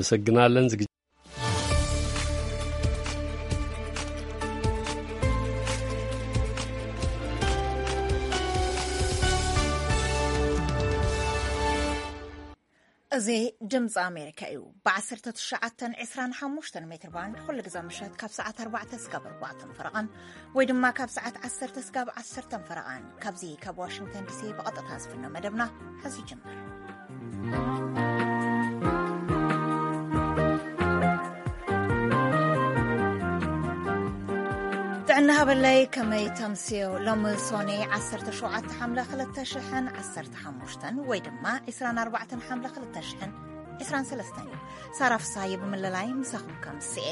ኣመሰግናለን። ዝግጅ- እዚ ድምፂ ኣሜሪካ እዩ። ብ19 25 ሜትር ባንድ ኩሉ ግዜ ምሸት ካብ ሰዓት ኣርባዕተ ስጋብ ኣርባዕተን ፈረቓን ወይ ድማ ካብ ሰዓት ዓሰርተ ስጋብ ዓሰርተን ፈረቓን ካብዚ ካብ ዋሽንግተን ዲሲ ብቐጥታ ዝፍኖ መደብና ሕዚ ይጅምር። ጥዕና ሃበለይ፣ ከመይ ተምስዮ? ሎሚ ሶኔ ዓሰርተ ሸውዓተ ሓምለ ክልተ ሽሕን ዓሰርተ ሓሙሽተን ወይ ድማ ዕስራን ኣርባዕተን ሓምለ ክልተ ሽሕን ዕስራን ሰለስተን እዩ። ሳራ ፍሳየ ብምልላይ ምሳኹም ከምስኤ።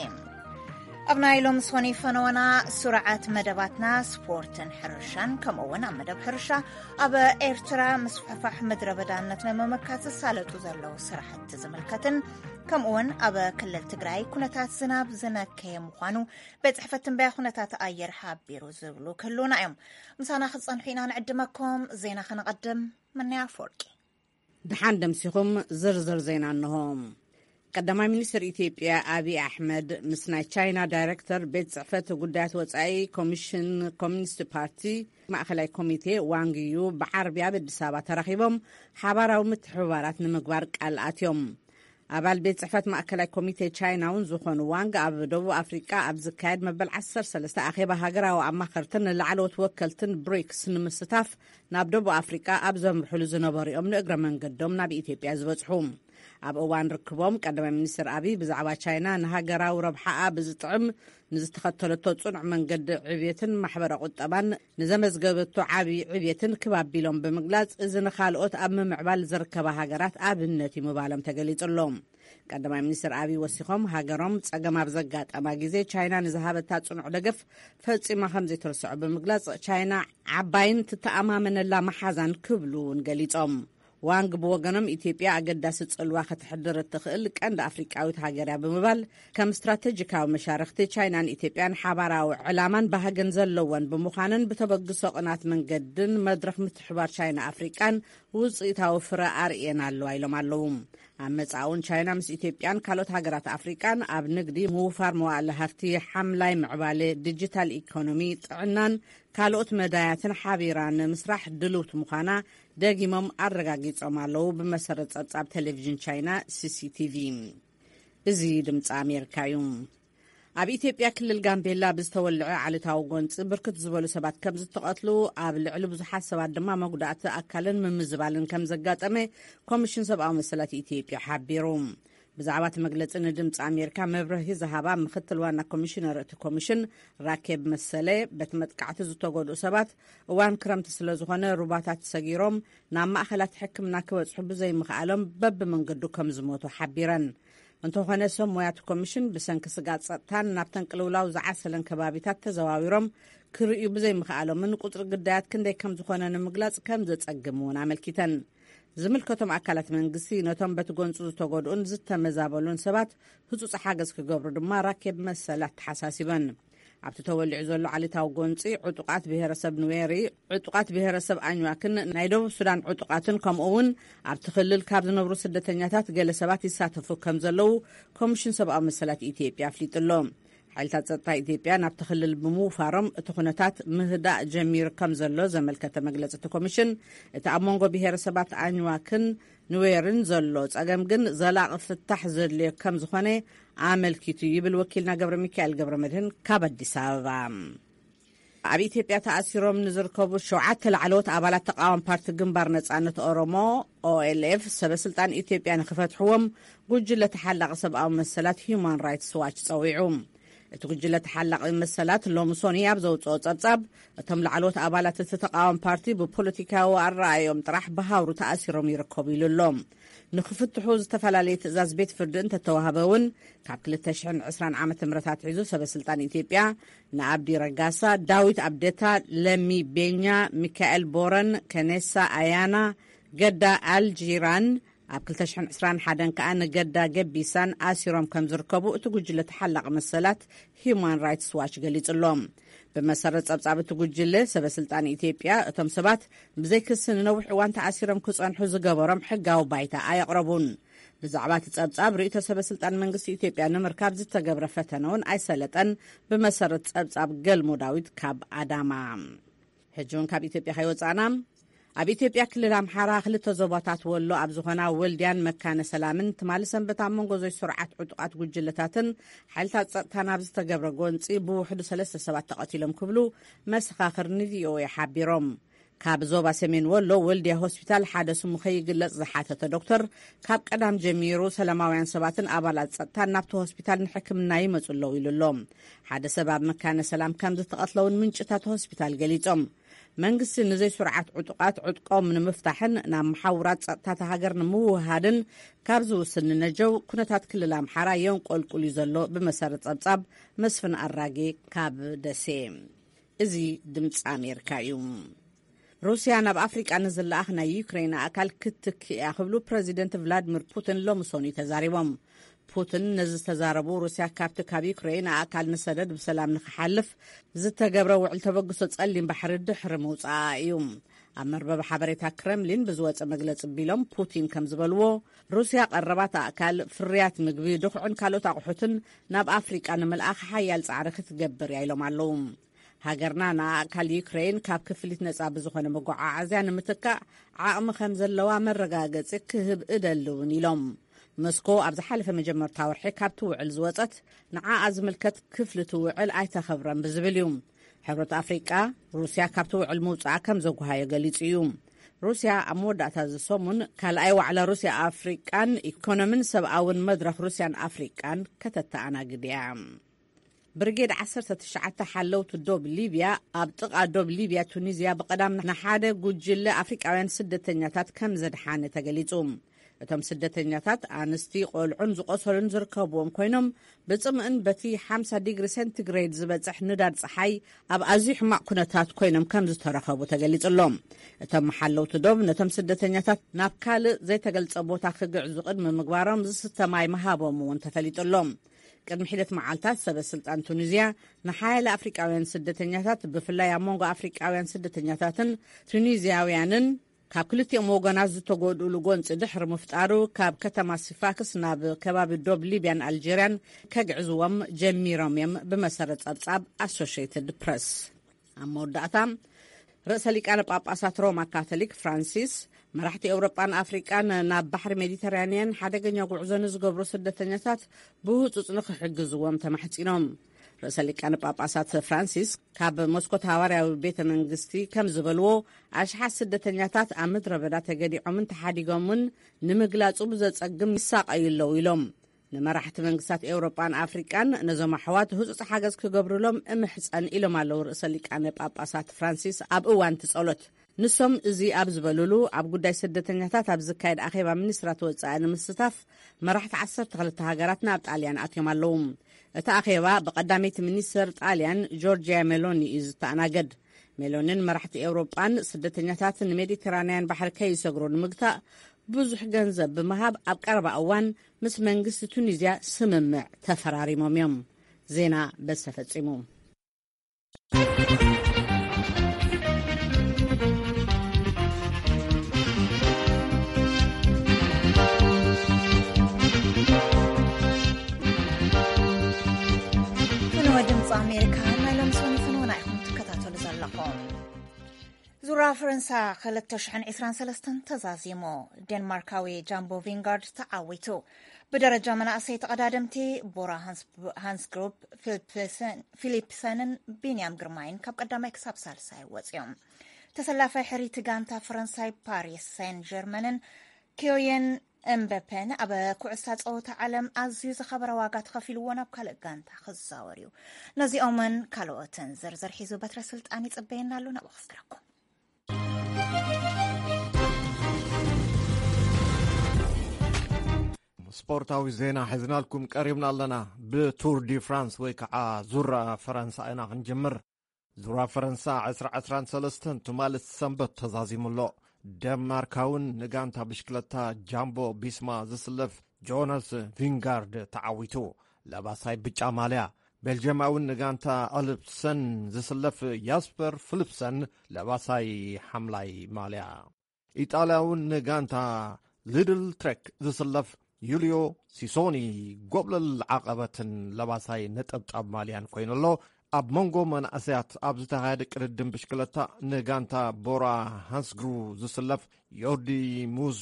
ኣብ ናይ ሎም ሶኒ ፈነወና ስርዓት መደባትና ስፖርትን ሕርሻን፣ ከምኡ እውን ኣብ መደብ ሕርሻ ኣብ ኤርትራ ምስፍሕፋሕ ምድረ በዳነት ንምምካት ዝሳለጡ ዘለዉ ስራሕቲ ዝምልከትን፣ ከምኡ እውን ኣብ ክልል ትግራይ ኩነታት ዝናብ ዝነከየ ምዃኑ ቤት ጽሕፈት ትንበያ ኩነታት ኣየር ሓቢሩ ዝብሉ ክህልውና እዮም። ምሳና ክትጸንሑ ኢና ንዕድመኩም። ዜና ከነቐድም። ምንያ ኣፈወርቂ። ደሓን ደምሲኹም። ዝርዝር ዜና እንሆ። ቀዳማይ ሚኒስትር ኢትዮጵያ ኣብይ ኣሕመድ ምስ ናይ ቻይና ዳይሬክተር ቤት ጽሕፈት ጉዳያት ወጻኢ ኮሚሽን ኮሚኒስት ፓርቲ ማእኸላይ ኮሚቴ ዋንግ ዩ ብዓርቢ ኣብ ኣዲስ ኣበባ ተራኺቦም ሓባራዊ ምትሕብባራት ንምግባር ቃል ኣትዮም። ኣባል ቤት ጽሕፈት ማእከላይ ኮሚቴ ቻይና እውን ዝኾኑ ዋንግ ኣብ ደቡብ ኣፍሪቃ ኣብ ዝካየድ መበል ዓሰርተ ሰለስተ ኣኼባ ሃገራዊ ኣማኸርትን ንላዕለዎት ወከልትን ብሪክስ ንምስታፍ ናብ ደቡብ ኣፍሪቃ ኣብ ዘምርሕሉ ዝነበሩ እዮም ንእግረ መንገዶም ናብ ኢትዮጵያ ዝበጽሑ። ኣብ እዋን ርክቦም ቀዳማይ ሚኒስትር ኣብይ ብዛዕባ ቻይና ንሃገራዊ ረብሓኣ ብዝጥዕም ንዝተኸተለቶ ጽኑዕ መንገዲ ዕብየትን ማሕበረ ቁጠባን ንዘመዝገበቶ ዓብዪ ዕብየትን ክብ ኣቢሎም ብምግላጽ፣ እዚ ንኻልኦት ኣብ ምምዕባል ዝርከባ ሃገራት ኣብነት እዩ ምባሎም ተገሊጹ ኣሎ። ቀዳማይ ሚኒስትር ኣብይ ወሲኾም፣ ሃገሮም ጸገም ኣብ ዘጋጠማ ግዜ ቻይና ንዝሃበታ ጽኑዕ ደገፍ ፈጺማ ከም ዘይትርስዖ ብምግላጽ፣ ቻይና ዓባይን ትተኣማመነላ መሓዛን ክብሉ እውን ገሊጾም። ዋንግ ብወገኖም፣ ኢትዮጵያ ኣገዳሲ ጽልዋ ከተሕድር እትኽእል ቀንዲ ኣፍሪቃዊት ሃገር እያ ብምባል፣ ከም ስትራቴጂካዊ መሻርኽቲ ቻይናን ኢትዮጵያን ሓባራዊ ዕላማን ባህግን ዘለወን ብምዃነን፣ ብተበግሶ ቅናት መንገድን መድረኽ ምትሕባር ቻይና ኣፍሪቃን ውጽኢታዊ ፍረ ኣርእየን ኣለዋ ኢሎም ኣለዉ። ኣብ መጻእውን ቻይና ምስ ኢትዮጵያን ካልኦት ሃገራት ኣፍሪቃን ኣብ ንግዲ፣ ምውፋር መዋእለ ሃፍቲ፣ ሓምላይ ምዕባለ፣ ዲጂታል ኢኮኖሚ፣ ጥዕናን ካልኦት መዳያትን ሓቢራ ንምስራሕ ድልውቲ ምዃና ደጊሞም ኣረጋጊጾም ኣለዉ። ብመሰረት ጸብጻብ ቴሌቪዥን ቻይና ሲሲቲቪ። እዚ ድምፂ ኣሜሪካ እዩ። ኣብ ኢትዮጵያ ክልል ጋምቤላ ብዝተወልዐ ዓሌታዊ ጎንፂ ብርክት ዝበሉ ሰባት ከም ዝተቐትሉ፣ ኣብ ልዕሊ ብዙሓት ሰባት ድማ መጉዳእቲ ኣካልን ምምዝባልን ከም ዘጋጠመ ኮሚሽን ሰብኣዊ መሰላት ኢትዮጵያ ሓቢሩ። ብዛዕባ እቲ መግለፂ ንድምፂ ኣሜሪካ መብርሂ ዝሃባ ምክትል ዋና ኮሚሽነር እቲ ኮሚሽን ራኬብ መሰለ፣ በቲ መጥቃዕቲ ዝተጎድኡ ሰባት እዋን ክረምቲ ስለ ዝኾነ ሩባታት ሰጊሮም ናብ ማእኸላት ሕክምና ክበፅሑ ብዘይምኽኣሎም በብመንገዱ ከም ዝሞቱ ሓቢረን። እንተኾነ ሰብ ሞያ እቲ ኮሚሽን ብሰንኪ ስግኣት ፀጥታን ናብተን ቅልውላው ዝዓሰለን ከባቢታት ተዘዋዊሮም ክርእዩ ብዘይምኽኣሎምን ቁፅሪ ግዳያት ክንደይ ከም ዝኾነ ንምግላፅ ከም ዘፀግም እውን ኣመልኪተን። ዝምልከቶም ኣካላት መንግስቲ ነቶም በቲ ጎንፂ ዝተጎድኡን ዝተመዛበሉን ሰባት ህፁፅ ሓገዝ ክገብሩ ድማ ራኬብ መሰል ኣተሓሳሲበን። ኣብቲ ተወሊዑ ዘሎ ዓሌታዊ ጎንፂ ዕጡቓት ብሄረሰብ ኑዌሪ፣ ዕጡቓት ብሄረሰብ ኣኝዋክን ናይ ደቡብ ሱዳን ዕጡቓትን ከምኡ እውን ኣብቲ ክልል ካብ ዝነብሩ ስደተኛታት ገለ ሰባት ይሳተፉ ከም ዘለዉ ኮሚሽን ሰብኣዊ መሰላት ኢትዮጵያ ኣፍሊጡ ኣሎ። ሓይልታት ጸጥታ ኢትዮጵያ ናብቲ ክልል ብምውፋሮም እቲ ኩነታት ምህዳእ ጀሚሩ ከም ዘሎ ዘመልከተ መግለጺ እቲ ኮሚሽን፣ እቲ ኣብ መንጎ ብሄረሰባት ኣኝዋክን ኑዌርን ዘሎ ጸገም ግን ዘላቒ ፍታሕ ዘድልዮ ከም ዝኾነ ኣመልኪቱ ይብል ወኪልና ገብረ ሚካኤል ገብረ መድህን ካብ ኣዲስ ኣበባ። ኣብ ኢትዮጵያ ተኣሲሮም ንዝርከቡ ሸውዓተ ላዕለዎት ኣባላት ተቃዋሚ ፓርቲ ግንባር ነጻነት ኦሮሞ፣ ኦኤልኤፍ፣ ሰበ ስልጣን ኢትዮጵያ ንክፈትሕዎም ጉጅለ ተሓላቂ ሰብኣዊ መሰላት ሂዩማን ራይትስ ዋች ጸዊዑ። እቲ ጉጅለ ተሓላቂ መሰላት ሎሚ ሶኒ ኣብ ዘውጽኦ ጸብጻብ፣ እቶም ላዕለዎት ኣባላት እቲ ተቃዋሚ ፓርቲ ብፖለቲካዊ ኣረኣእዮም ጥራሕ ብሃውሩ ተኣሲሮም ይርከቡ ኢሉ ኣሎ። ንክፍትሑ ዝተፈላለየ ትእዛዝ ቤት ፍርዲ እንተተዋህበ እውን፣ ካብ ክልተ ሽሕን ዕስራን ዓመተ ምህረት ኣትሒዙ ሰበ ስልጣን ኢትዮጵያ ንኣብዲ ረጋሳ፣ ዳዊት ኣብደታ፣ ለሚ ቤኛ፣ ሚካኤል ቦረን፣ ከኔሳ ኣያና፣ ገዳ ኣልጂራን፣ ኣብ ክልተ ሽሕን ዕስራን ሓደን ከኣ ንገዳ ገቢሳን ኣሲሮም ከም ዝርከቡ እቲ ጉጅለ ተሓላቂ መሰላት ሂዩማን ራይትስ ዋች ገሊጹ ኣሎ። ብመሰረት ጸብጻብ እቲ ጉጅለ፣ ሰበ ስልጣን ኢትዮጵያ እቶም ሰባት ብዘይ ክሲ ንነዊሕ እዋን ተኣሲሮም ክጸንሑ ዝገበሮም ሕጋዊ ባይታ ኣየቕረቡን። ብዛዕባ እቲ ጸብጻብ ርእይቶ ሰበ ስልጣን መንግስቲ ኢትዮጵያ ንምርካብ ዝተገብረ ፈተነ እውን ኣይሰለጠን። ብመሰረት ጸብጻብ ገልሞ ዳዊት ካብ ኣዳማ። ሕጂ እውን ካብ ኢትዮጵያ ከይወጻእና፣ ኣብ ኢትዮጵያ ክልል ኣምሓራ ክልተ ዞባታት ወሎ ኣብ ዝኾና ወልድያን መካነ ሰላምን ትማሊ ሰንበት ኣብ መንጎ ዘይስሩዓት ዕጡቓት ጉጅለታትን ሓይልታት ጸጥታን ኣብ ዝተገብረ ጎንጺ ብውሕዱ ሰለስተ ሰባት ተቐቲሎም ክብሉ መሰኻኽር ንቪኦኤ ሓቢሮም። ካብ ዞባ ሰሜን ወሎ ወልድያ ሆስፒታል ሓደ ስሙ ከይግለጽ ዝሓተተ ዶክተር፣ ካብ ቀዳም ጀሚሩ ሰላማውያን ሰባትን ኣባላት ጸጥታን ናብቲ ሆስፒታል ንሕክምና ይመጹ ኣለዉ ኢሉ ኣሎ። ሓደ ሰብ ኣብ መካነ ሰላም ከም ዝተቐትለ እውን ምንጭታት ሆስፒታል ገሊጾም። መንግስቲ ንዘይስሩዓት ዕጡቓት ዕጥቆም ንምፍታሕን ናብ መሓውራት ጸጥታ እታ ሃገር ንምውህሃድን ካብ ዝውስን ንነጀው፣ ኩነታት ክልል ኣምሓራ የንቆልቁል እዩ ዘሎ። ብመሰረት ጸብጻብ መስፍን ኣራጌ ካብ ደሴ። እዚ ድምፂ ኣሜሪካ እዩ። ሩስያ ናብ ኣፍሪቃ ንዝለኣኽ ናይ ዩክሬን ኣእካል ክትትክእ እያ ክብሉ ፕረዚደንት ቭላድሚር ፑቲን ሎሚ ሰኑይ ተዛሪቦም። ፑቲን ነዚ ዝተዛረቡ፣ ሩስያ ካብቲ ካብ ዩክሬን ኣእካል ንሰደድ ብሰላም ንክሓልፍ ዝተገብረ ውዕል ተበግሶ ጸሊም ባሕሪ ድሕሪ ምውጻኣ እዩ። ኣብ መርበብ ሓበሬታ ክረምሊን ብዝወጸ መግለጺ ቢሎም ፑቲን ከም ዝበልዎ፣ ሩስያ ቀረባት ኣእካል፣ ፍርያት ምግቢ፣ ድኹዕን ካልኦት ኣቑሑትን ናብ ኣፍሪቃ ንምልኣኽ ሓያል ጻዕሪ ክትገብር እያ ኢሎም ኣለዉ። ሃገርና ንኣእካል ዩክሬን ካብ ክፍሊት ነጻ ብዝኾነ መጓዓዓዝያ ንምትካእ ዓቕሚ ከም ዘለዋ መረጋገጺ ክህብ እደሊ እውን ኢሎም። መስኮ ኣብ ዝሓለፈ መጀመርታ ወርሒ ካብቲ ውዕል ዝወጸት፣ ንዓኣ ዝምልከት ክፍሊ እቲ ውዕል ኣይተኸብረን ብዝብል እዩ። ሕብረት ኣፍሪቃ፣ ሩስያ ካብቲ ውዕል ምውጻኣ ከም ዘጉሃዮ ገሊጹ እዩ። ሩስያ ኣብ መወዳእታ እዚ ሰሙን ካልኣይ ዋዕላ ሩስያ ኣፍሪቃን ኢኮኖምን ሰብኣውን መድረኽ ሩስያን ኣፍሪቃን ከተተኣናግድ እያ። ብርጌድ ዓሰርተ ትሽዓተ ሓለውቲ ዶብ ሊብያ ኣብ ጥቓ ዶብ ሊብያ ቱኒዝያ ብቐዳም ንሓደ ጉጅለ ኣፍሪቃውያን ስደተኛታት ከም ዘድሓነ ተገሊጹ። እቶም ስደተኛታት ኣንስቲ፣ ቆልዑን ዝቆሰሉን ዝርከብዎም ኮይኖም፣ ብጽምእን በቲ ሓምሳ ዲግሪ ሴንቲግሬድ ዝበጽሕ ንዳድ ጸሓይ ኣብ ኣዝዩ ሕማቕ ኩነታት ኮይኖም ከም ዝተረኸቡ ተገሊጹ ኣሎ። እቶም መሓለውቲ ዶብ ነቶም ስደተኛታት ናብ ካልእ ዘይተገልጸ ቦታ ክግዕዙ ቅድሚ ምግባሮም ዝስተ ማይ ምሃቦም እውን ተፈሊጡ ኣሎ። ቅድሚ ሒደት መዓልታት ሰበ ስልጣን ቱኒዝያ ንሓያለ ኣፍሪቃውያን ስደተኛታት፣ ብፍላይ ኣብ መንጎ ኣፍሪቃውያን ስደተኛታትን ቱኒዝያውያንን ካብ ክልቲኦም ወገናት ዝተጎድኡሉ ጎንፂ ድሕሪ ምፍጣሩ፣ ካብ ከተማ ሲፋክስ ናብ ከባቢ ዶብ ሊብያን ኣልጀርያን ከግዕዝዎም ጀሚሮም እዮም፣ ብመሰረት ጸብጻብ ኣሶሽየትድ ፕረስ። ኣብ መወዳእታ፣ ርእሰ ሊቃነ ጳጳሳት ሮማ ካቶሊክ ፍራንሲስ፣ መራሕቲ ኤውሮጳን ኣፍሪቃን ናብ ባሕሪ ሜዲተራንያን ሓደገኛ ጉዕዞ ንዝገብሩ ስደተኛታት ብህጹጽ ንኽሕግዝዎም ተማሕጺኖም። ርእሰ ሊቃነ ጳጳሳት ፍራንሲስ ካብ መስኮት ሃዋርያዊ ቤተ መንግስቲ ከም ዝበልዎ፣ ኣሽሓት ስደተኛታት ኣብ ምድረ በዳ ተገዲዖምን ተሓዲጎምን ንምግላጹ ብዘጸግም ይሳቐዩ ኣለዉ ኢሎም። ንመራሕቲ መንግስታት ኤውሮጳን ኣፍሪቃን ነዞም ኣሕዋት ህጹጽ ሓገዝ ክገብሩሎም እምሕጸን ኢሎም ኣለዉ ርእሰ ሊቃነ ጳጳሳት ፍራንሲስ ኣብ እዋን እቲ ጸሎት። ንሶም እዚ ኣብ ዝበሉሉ፣ ኣብ ጉዳይ ስደተኛታት ኣብ ዝካየድ ኣኼባ ሚኒስትራት ወጻኢ ንምስታፍ መራሕቲ ዓሰርተ ክልተ ሃገራት ናብ ጣልያን ኣትዮም ኣለዉ። እቲ ኣኼባ ብቀዳመይቲ ሚኒስትር ጣልያን ጆርጂያ ሜሎኒ እዩ ዝተኣናገድ። ሜሎኒን መራሕቲ ኤውሮጳን ስደተኛታት ንሜዲተራንያን ባሕሪ ከይሰግሩ ንምግታእ ብዙሕ ገንዘብ ብምሃብ ኣብ ቀረባ እዋን ምስ መንግስቲ ቱኒዝያ ስምምዕ ተፈራሪሞም እዮም። ዜና በዚ ተፈጺሙ። ፍንወ ድምፂ ኣሜሪካ ናይ ሎም ሰኒ ፍንወና ኢኹም ትከታተሉ ዘለኹም። ዙራ ፈረንሳ ክልተ ሽሕን ዕስራን ሰለስተን ተዛዚሙ። ዴንማርካዊ ጃምቦ ቪንጋርድ ተዓዊቱ። ብደረጃ መናእሰይ ተቐዳደምቲ ቦራ ሃንስ-፣ ሃንስግሩፕ ፊሊፕሰን-፣ ፊሊፕሰንን ቢንያም ግርማይን ካብ ቀዳማይ ክሳብ ሳልሳይ ወፂኦም። ተሰላፋይ ሕሪቲ ጋንታ ፈረንሳይ ፓሪስ ሴን ጀርመንን ኪዮየን እምበፔን ኣብ ኩዕሳ ፀወታ ዓለም ኣዝዩ ዝኸበረ ዋጋ ተኸፊልዎ ናብ ካልእ ጋንታ ክዛወር እዩ። ነዚኦምን ካልኦትን ዝርዝር ሒዙ በትረ ስልጣን ይፅበየና ኣሎ። ናብኡ ክስግረኩም። ስፖርታዊ ዜና ሒዝናልኩም ቀሪብና ኣለና። ብቱር ዲ ፍራንስ ወይ ከዓ ዙራ ፈረንሳ ኢና ክንጅምር። ዙራ ፈረንሳ ዕስራ ዕስራን ሰለስተን ትማሊ ሰንበት ተዛዚሙ ኣሎ። ደንማርካውን ንጋንታ ብሽክለታ ጃምቦ ቢስማ ዝስለፍ ጆናስ ቪንጋርድ ተዓዊቱ። ለባሳይ ብጫ ማልያ። ቤልጅማውን ንጋንታ ኣልፕሰን ዝስለፍ ያስፐር ፍልፕሰን ለባሳይ ሓምላይ ማልያ። ኢጣልያውን ንጋንታ ሊድል ትሬክ ዝስለፍ ዩልዮ ሲሶኒ ጎብለል ዓቐበትን ለባሳይ ነጠብጣብ ማልያን ኮይኑ ኣሎ። ኣብ መንጎ መናእሰያት ኣብ ዝተኻየደ ቅድድም ብሽክለታ ንጋንታ ቦራ ሃንስግሩ ዝስለፍ ዮርዲ ሙዝ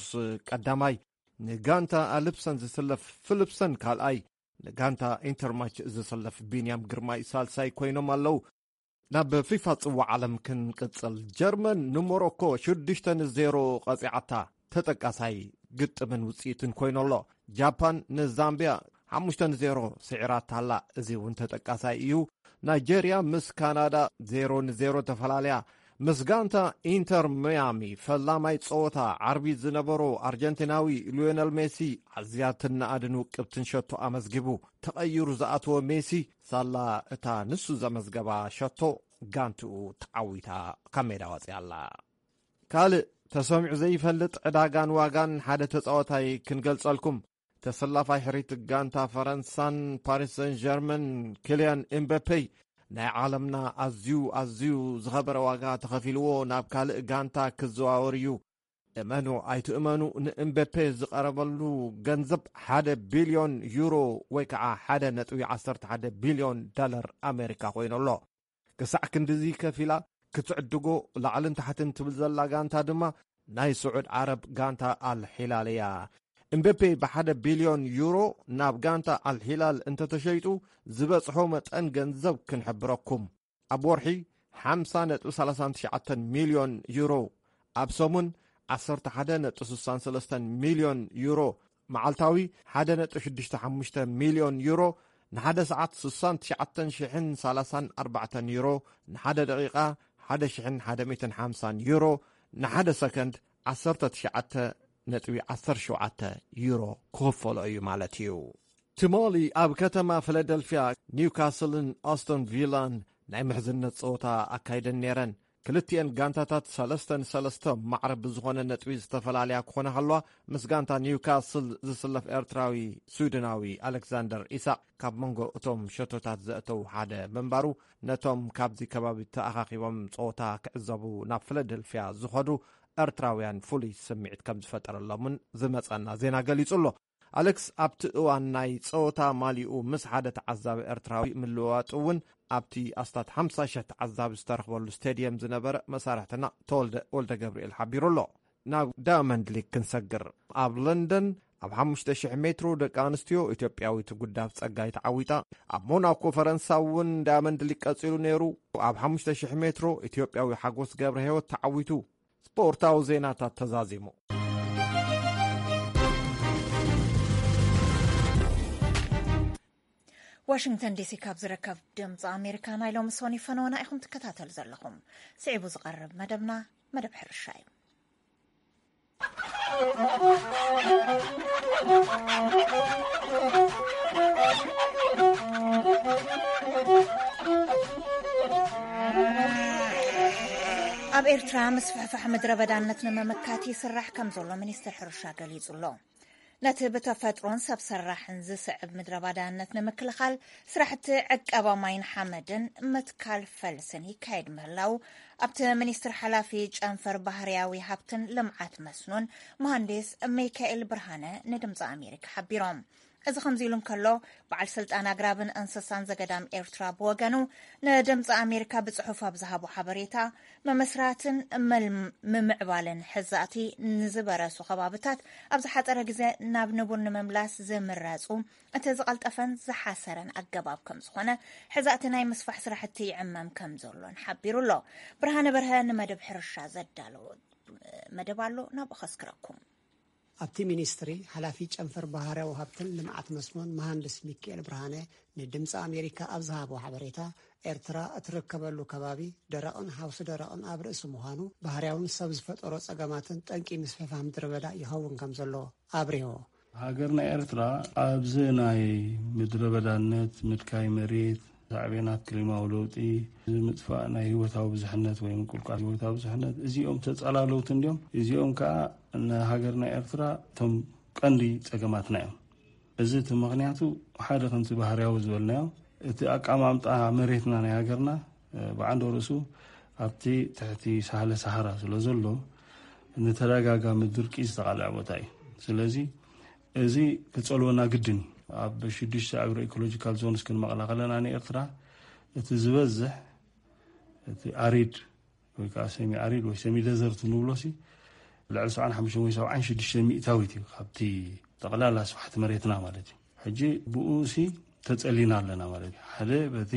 ቀዳማይ፣ ንጋንታ ኣልፕሰን ዝስለፍ ፊልፕሰን ካልኣይ፣ ንጋንታ ኢንተርማች ዝስለፍ ቢንያም ግርማይ ሳልሳይ ኮይኖም ኣለዉ። ናብ ፊፋ ጽዋዕ ዓለም ክንቅጽል፣ ጀርመን ንሞሮኮ ሽዱሽተ ንዜሮ ቀጺዓታ። ተጠቃሳይ ግጥምን ውጽኢትን ኮይኑ ኣሎ። ጃፓን ንዛምቢያ ሓሙሽተ ንዜሮ ስዒራታ ኣላ። እዚ እውን ተጠቃሳይ እዩ። ናይጀርያ ምስ ካናዳ ዜሮ ንዜሮ ተፈላለያ። ምስ ጋንታ ኢንተር ሚያሚ ፈላማይ ጸወታ ዓርቢ ዝነበሮ ኣርጀንቲናዊ ሊዮነል ሜሲ ኣዝያ ትነኣድን ውቅብትን ሸቶ ኣመዝጊቡ። ተቐይሩ ዝኣተወ ሜሲ ሳላ እታ ንሱ ዘመዝገባ ሸቶ ጋንትኡ ተዓዊታ ካብ ሜዳ ወጺኣ ኣላ። ካልእ ተሰሚዑ ዘይፈልጥ ዕዳጋን ዋጋን ሓደ ተጻዋታይ ክንገልጸልኩም። ተሰላፋይ ሕሪት ጋንታ ፈረንሳን ፓሪስ ሰን ጀርመን ኪልያን ኤምበፔ ናይ ዓለምና ኣዝዩ ኣዝዩ ዝኸበረ ዋጋ ተኸፊልዎ ናብ ካልእ ጋንታ ክዘዋወር እዩ። እመኑ ኣይትእመኑ፣ ንኤምበፔ ዝቐረበሉ ገንዘብ ሓደ ቢልዮን ዩሮ ወይ ከዓ ሓደ ነጥቢ ዓሰርተ ሓደ ቢልዮን ዳለር ኣሜሪካ ኮይኑ ኣሎ። ክሳዕ ክንድዚ ከፊላ ክትዕድጎ ላዕልን ታሕትን ትብል ዘላ ጋንታ ድማ ናይ ስዑድ ዓረብ ጋንታ ኣልሒላል እያ። እምበፔ ብሓደ ቢልዮን ዩሮ ናብ ጋንታ ኣልሒላል እንተተሸይጡ ዝበጽሖ መጠን ገንዘብ ክንሕብረኩም። ኣብ ወርሒ ሓምሳ ነጥቢ ሰላሳን ትሽዓተን ሚልዮን ዩሮ፣ ኣብ ሰሙን ዓሰርተ ሓደ ነጥቢ ስሳን ሰለስተን ሚልዮን ዩሮ፣ መዓልታዊ ሓደ ነጥቢ ሽዱሽተ ሓሙሽተ ሚልዮን ዩሮ፣ ንሓደ ሰዓት ስሳን ትሽዓተን ሽሕን ሰላሳን ኣርባዕተን ዩሮ፣ ንሓደ ደቂቓ ሓደ ሽሕን ሓደ ሚእትን ሓምሳን ዩሮ፣ ንሓደ ሰከንድ ዓሰርተ ትሽዓተ ነጥቢ ዓሰርተ ሸውዓተ ዩሮ ክኽፈሎ እዩ ማለት እዩ። ትማሊ ኣብ ከተማ ፊላደልፊያ ኒውካስልን ኣስቶን ቪላን ናይ ምሕዝነት ጸወታ ኣካይደን ነይረን። ክልቲኤን ጋንታታት ሰለስተ ንሰለስተ ማዕረ ብዝኾነ ነጥቢ ዝተፈላለያ ክኾና ከለዋ፣ ምስ ጋንታ ኒውካስል ዝስለፍ ኤርትራዊ ስዊድናዊ ኣሌክዛንደር ኢሳቕ ካብ መንጎ እቶም ሸቶታት ዘእተው ሓደ ምንባሩ፣ ነቶም ካብዚ ከባቢ ተኣኻኺቦም ጸወታ ክዕዘቡ ናብ ፊላደልፊያ ዝኸዱ ኤርትራውያን ፍሉይ ስምዒት ከም ዝፈጠረሎምን ዝመጸና ዜና ገሊጹ ኣሎ። ኣሌክስ ኣብቲ እዋን ናይ ጸወታ ማሊኡ ምስ ሓደ ተዓዛቢ ኤርትራዊ ምልውዋጡ እውን ኣብቲ ኣስታት ሓምሳ ሽሕ ተዓዛቢ ዝተረኽበሉ ስቴድየም ዝነበረ መሳርሕትና ተወልደ ወልደ ገብርኤል ሓቢሩ ኣሎ። ናብ ዳያመንድ ሊግ ክንሰግር። ኣብ ለንደን ኣብ ሓሙሽተ ሽሕ ሜትሮ ደቂ ኣንስትዮ ኢትዮጵያዊት ጉዳፍ ጸጋይ ተዓዊታ። ኣብ ሞናኮ ፈረንሳ እውን ዳያመንድ ሊግ ቀጺሉ ነይሩ። ኣብ ሓሙሽተ ሽሕ ሜትሮ ኢትዮጵያዊ ሓጎስ ገብረ ህይወት ተዓዊቱ። ስፖርታዊ ዜናታት ተዛዚሙ። ዋሽንግተን ዲሲ ካብ ዝርከብ ድምፂ ኣሜሪካ ናይ ሎሚ ሶኒ ፈነወና ኢኹም ትከታተሉ ዘለኹም። ስዒቡ ዝቐርብ መደብና መደብ ሕርሻ እዩ። ኣብ ኤርትራ ምስፍሕፋሕ ምድረ በዳነት ንምምካት ይስራሕ ከም ዘሎ ሚኒስትር ሕርሻ ገሊጹ ኣሎ። ነቲ ብተፈጥሮን ሰብ ሰራሕን ዝስዕብ ምድረ ባዳነት ንምክልኻል ስራሕቲ ዕቀባ ማይን ሓመድን ምትካል ፈልስን ይካየድ ምህላው ኣብቲ ሚኒስትር ሓላፊ ጨንፈር ባህርያዊ ሃብትን ልምዓት መስኖን መሃንዲስ ሚካኤል ብርሃነ ንድምፂ ኣሜሪካ ሓቢሮም። እዚ ከምዚ ኢሉ እንከሎ፣ በዓል ስልጣን ኣግራብን እንስሳን ዘገዳም ኤርትራ ብወገኑ ንድምፂ ኣሜሪካ ብጽሑፍ ኣብ ዝሃቦ ሓበሬታ፣ ምምስራትን ምል-፣ ምምዕባልን ሕዛእቲ ንዝበረሱ ከባብታት ኣብ ዝሓጸረ ግዜ ናብ ንቡር ንምምላስ ዝምረጹ እቲ ዝቐልጠፈን ዝሓሰረን ኣገባብ ከም ዝኾነ፣ ሕዛእቲ ናይ ምስፋሕ ስራሕቲ ይዕመም ከም ዘሎን ሓቢሩ ኣሎ። ብርሃነ በርሀ ንመደብ ሕርሻ ዘዳለዎ መደብ ኣሎ፣ ናብኡ ከስክረኩም። ኣብቲ ሚኒስትሪ ሓላፊ ጨንፈር ባህርያዊ ሃብትን ልምዓት መስኖን መሃንድስ ሚካኤል ብርሃነ ንድምፂ ኣሜሪካ ኣብ ዝሃቦ ሓበሬታ፣ ኤርትራ እትርከበሉ ከባቢ ደረቕን ሃውሲ ደረቕን ኣብ ርእሲ ምዃኑ፣ ባህርያውን ሰብ ዝፈጠሮ ጸገማትን ጠንቂ ምስፍሕፋሕ ምድረ በዳ ይኸውን ከም ዘሎ ኣብሪሆ። ሃገርና ኤርትራ ኣብዚ ናይ ምድረ በዳነት፣ ምድካይ መሬት፣ ሳዕቤናት ክሊማዊ ለውጢ፣ ምጥፋእ ናይ ህይወታዊ ብዙሕነት ወይ ምቁልቋል ህይወታዊ ብዙሕነት፣ እዚኦም ተጸላለውቲ እንዲዮም። እዚኦም ከኣ ንሃገርና ኤርትራ እቶም ቀንዲ ጸገማትና እዮም። እዚ እቲ ምኽንያቱ ሓደ ከምቲ ባህርያዊ ዝበልናዮ፣ እቲ ኣቀማምጣ መሬትና ናይ ሃገርና፣ እ፣ ብዓንዶ ርእሱ ኣብቲ ትሕቲ ሳህለ ሰሃራ ስለ ዘሎ፣ ንተደጋጋሚ ድርቂ ዝተቓልዐ ቦታ እዩ። ስለዚ እዚ ክጸልወና ግድን እዩ። ኣብ ሽዱሽተ ኣግሮ ኢኮሎጂካል ዞንስ ክንመቕላ ከለና ንኤርትራ እቲ ዝበዝሕ እቲ ኣሪድ ወይ ከዓ ሰሚ ኣሪድ ወይ ሰሚ ደዘርት ንብሎ ሲ ልዕሊ ሰብዓን ሓሙሽተን ወይ ሰብዓን ሽዱሽተ ሚእታዊት እዩ ካብቲ ጠቕላላ ስፍሓት መሬትና ማለት እዩ። ሕጂ ብኡ ሲ ተጸሊና ኣለና ማለት እዩ። ሓደ በቲ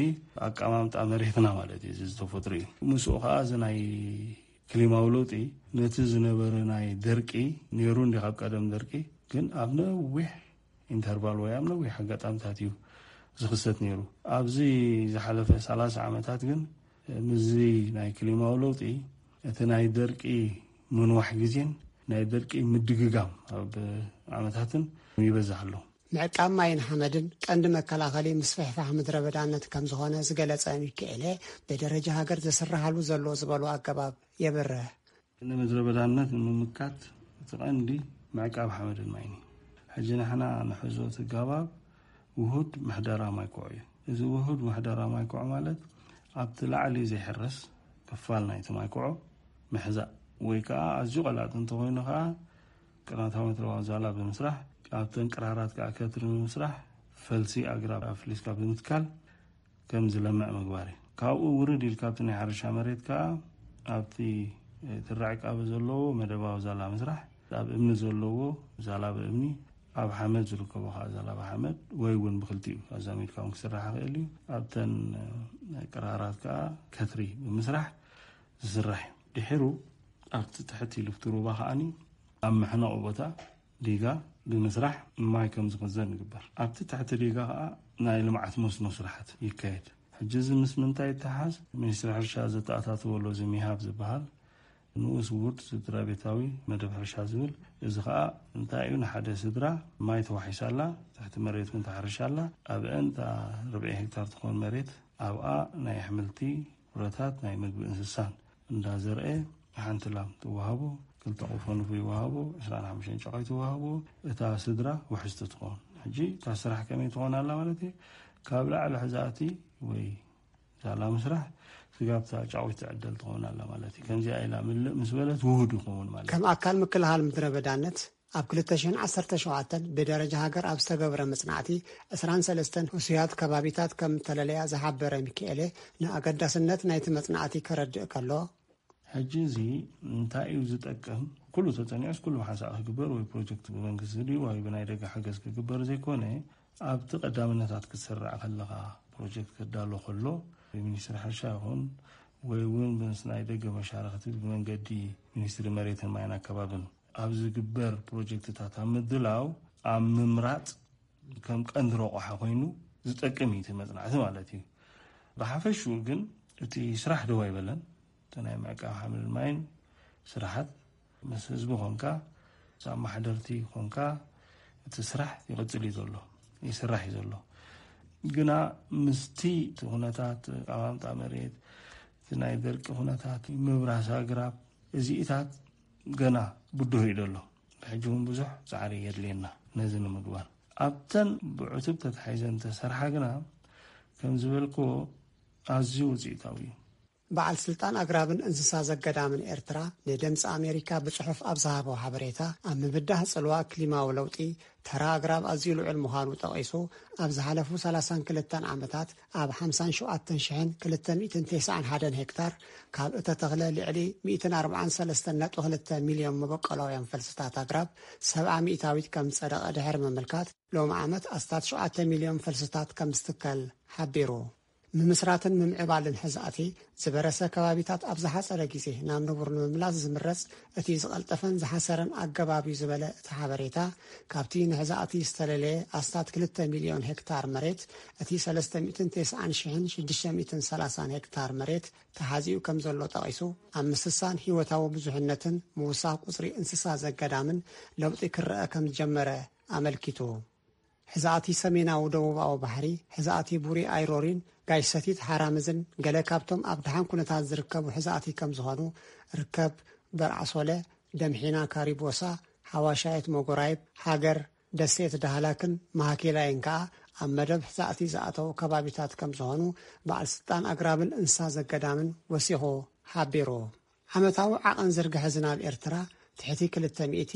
ኣቀማምጣ መሬትና ማለት እዩ፣ እዚ ዝተፈጥሩ እዩ። ምስኡ ከዓ እዚ ናይ ክሊማዊ ለውጢ ነቲ ዝነበረ ናይ ደርቂ ነይሩ እንዲ ካብ ቀደም ደርቂ ግን ኣብ ነዊሕ ኢንተርቫል ወይ ኣብ ነዊሕ ኣጋጣምታት እዩ ዝኽሰት ነይሩ። ኣብዚ ዝሓለፈ ሰላሳ ዓመታት ግን ምስዚ ናይ ክሊማዊ ለውጢ እቲ ናይ ደርቂ ምንዋሕ ግዜን ናይ ደርቂ ምድግጋም ኣብ ዓመታትን ይበዝሕ ኣሎ። ምዕቃብ ማይን ሓመድን ቀንዲ መከላኸሊ ምስፍሕፋሕ ምድረ በዳነት ከም ዝኾነ ዝገለጸ ሚካኤለ፣ ብደረጃ ሃገር ዝስራሓሉ ዘሎ ዝበሉ ኣገባብ የብርህ። ንምድረ በዳነት ንምምካት እቲ ቀንዲ ምዕቃብ ሓመድን ማይን እዩ። ሕጂ ንሕና ንሕዞ እቲ ኣገባብ ውሁድ ምሕደራ ማይኩዖ እዩ። እዚ ውሁድ ምሕደራ ማይኩዖ ማለት ኣብቲ ላዕሊ ዘይሕረስ ክፋል ናይቲ ማይኩዖ ምሕዛእ ወይ ከዓ ኣዝዩ ቀላጥ እንተኾይኑ ከዓ ቅናታዊ ምትረባዊ ዛላ ብምስራሕ ኣብተን ቅራራት ከዓ ከትሪ ብምስራሕ ፈልሲ ኣግራብ ኣፍሊስካ ብምትካል ከም ዝለምዕ ምግባር እዩ። ካብኡ ውርድ ኢልካ ኣብቲ ናይ ሕርሻ መሬት ከዓ ኣብቲ ትራዕ ቃቢ ዘለዎ መደባዊ ዛላ ምስራሕ ኣብ እምኒ ዘለዎ ዛላ ብእምኒ ኣብ ሓመድ ዝርከቦ ከዓ ዛላ ብሓመድ ወይ እውን ብክልቲኡ ኣዛሚድካ እውን ክስራሕ ይኽእል እዩ። ኣብተን ቅራራት ከዓ ከትሪ ብምስራሕ ዝስራሕ እዩ። ድሒሩ ኣብቲ ትሕቲ ልፍቲ ሩባ ከዓኒ ኣብ መሕነቑ ቦታ ዲጋ ብምስራሕ ማይ ከም ዝኽዘን ይግበር። ኣብቲ ትሕቲ ዲጋ ከዓ ናይ ልምዓት መስኖ ስራሕት ይካየድ። ሕጂ እዚ ምስ ምንታይ ይተሓዝ? ሚኒስትሪ ሕርሻ ዘተኣታተወሎ እዚ ሚሃብ ዝበሃል ንኡስ ውሁድ ስድራ ቤታዊ መደብ ሕርሻ ዝብል፣ እዚ ከዓ እንታይ እዩ? ንሓደ ስድራ ማይ ተዋሒሳላ፣ ትሕቲ መሬት እውን ተሓርሻላ፣ ኣብአን እታ ርብዒ ሄክታር ትኾን መሬት ኣብኣ ናይ ኣሕምልቲ ፍረታት ናይ ምግቢ እንስሳን እንዳዘርአ ሓንቲ ላም ትወሃቦ፣ ክልተ ቆፎ ንፍሪ ይወሃቦ፣ ዕስራን ሓሙሽተን ጨቓይ ትወሃቦ፣ እታ ስድራ ውሕስቲ ትኾን። ሕጂ እታ ስራሕ ከመይ ትኾን ኣላ ማለት እዩ? ካብ ላዕሊ ሕዛእቲ ወይ ዛላ ምስራሕ ስጋብ እታ ጫቑት ትዕደል ትኾን ኣላ ማለት እዩ። ከምዚኣ ኢላ ምልእ ምስ በለት ውሁድ ይኸውን ማለት እዩ። ከም ኣካል ምክልኻል ምድረ በዳነት ኣብ ክልተ ሽሕን ዓሰርተ ሸውዓተን ብደረጃ ሃገር ኣብ ዝተገብረ መጽናዕቲ ዕስራን ሰለስተን ህሱያት ከባቢታት ከም እተለለያ ዝሓበረ ሚካኤለ፣ ንኣገዳስነት ናይቲ መጽናዕቲ ከረድእ ከሎ፣ ሕጂ እዚ እንታይ እዩ ዝጠቅም? ኩሉ ተጸኒዑስ ኩሉ ሓንሳእ ክግበር ወይ ፕሮጀክት ብመንግስቲ ድዩ ወይ ብናይ ደገ ሓገዝ ክግበር ዘይኮነ፣ ኣብቲ ቀዳምነታት ክትስራዕ ከለኻ ፕሮጀክት ክዳሎ ከሎ ብሚኒስትሪ ሕርሻ ይኹን ወይ እውን ምስ ናይ ደገ መሻርኽቲ ብመንገዲ ሚኒስትሪ መሬትን ማይን ኣከባብን ኣብ ዝግበር ፕሮጀክትታት ኣብ ምድላው ኣብ ምምራፅ ከም ቀንዲ ረቑሓ ኮይኑ ዝጠቅም እዩ እቲ መፅናዕቲ ማለት እዩ። ብሓፈሽኡ ግን እቲ ስራሕ ደው ኣይበለን። እቲ ናይ ምዕቃብ ሓመድን ማይን ስራሓት ምስ ህዝቢ ኮንካ ምስ ኣመሓደርቲ ኮንካ እቲ ስራሕ ይቕፅል እዩ ዘሎ፣ ይስራሕ እዩ ዘሎ። ግና ምስቲ እቲ ኩነታት ኣቀማምጣ መሬት፣ እቲ ናይ ደርቂ ኩነታት፣ ምብራስ ኣግራብ፣ እዚኢታት ገና ብድሆ እዩ ዘሎ። ብሕጂ እውን ብዙሕ ፃዕሪ የድልየና ነዚ ንምግባር። ኣብተን ብዕቱብ ተታሒዘን እንተሰርሓ ግና ከም ዝበልክዎ ኣዝዩ ውፅኢታዊ እዩ። በዓል ስልጣን ኣግራብን እንስሳ ዘገዳምን ኤርትራ ንድምፂ ኣሜሪካ ብፅሑፍ ኣብ ዝሃቦ ሓበሬታ፣ ኣብ ምብዳህ ፅልዋ ክሊማዊ ለውጢ ተራ ኣግራብ ኣዝዩ ልዑል ምዃኑ ጠቒሱ፣ ኣብ ዝሓለፉ ሰላሳን ክልተን ዓመታት ኣብ ሓምሳን ሸውዓተን ሽሕን ክልተ ሚእትን ተስዓን ሓደን ሄክታር ካብ እተተኽለ ልዕሊ ሚእትን ኣርባዓን ሰለስተን ነጥቢ ክልተ ሚልዮን መበቆላውያን ፈልስታት ኣግራብ ሰብዓ ሚእታዊት ከም ዝጸደቐ ድሕሪ ምምልካት፣ ሎሚ ዓመት ኣስታት ሸውዓተ ሚልዮን ፈልስታት ከም ዝትከል ሓቢሩ። ምምስራትን ምምዕባልን ሕዛእቲ ዝበረሰ ከባቢታት ኣብ ዝሓጸረ ግዜ ናብ ንቡር ንምምላስ ዝምረጽ እቲ ዝቐልጠፈን ዝሓሰረን ኣገባብ እዩ ዝበለ እቲ ሓበሬታ፣ ካብቲ ንሕዛእቲ ዝተለለየ ኣስታት ክልተ ሚልዮን ሄክታር መሬት እቲ ሰለስተ ሚእትን ተስዓን ሽሕን ሽዱሽተ ሚእትን ሰላሳን ሄክታር መሬት ተሓዚኡ ከም ዘሎ ጠቒሱ፣ ኣብ ምስሳን ህይወታዊ ብዙሕነትን ምውሳኽ ቁጽሪ እንስሳ ዘገዳምን ለውጢ ክረኣ ከም ዝጀመረ ኣመልኪቱ። ሕዛእቲ ሰሜናዊ ደቡባዊ ባሕሪ፣ ሕዛእቲ ቡሪ ኣይሮሪን ጋሽ ሰቲት ሓራምዝን ገለ ካብቶም ኣብ ደሓን ኩነታት ዝርከቡ ሕዛእቲ ከም ዝኾኑ፣ ርከብ በርዓሶለ፣ ደምሒና ካሪቦሳ፣ ሓዋሻየት መጎራይብ፣ ሃገር፣ ደሴት ዳህላክን ማሃኬላይን ከኣ ኣብ መደብ ሕዛእቲ ዝኣተዉ ከባቢታት ከም ዝኾኑ በዓል ስልጣን ኣግራብን እንስሳ ዘገዳምን ወሲኹ ሓቢሩ። ዓመታዊ ዓቐን ዝርግሐ ዝናብ ኤርትራ ትሕቲ ክልተ ሚእቲ፣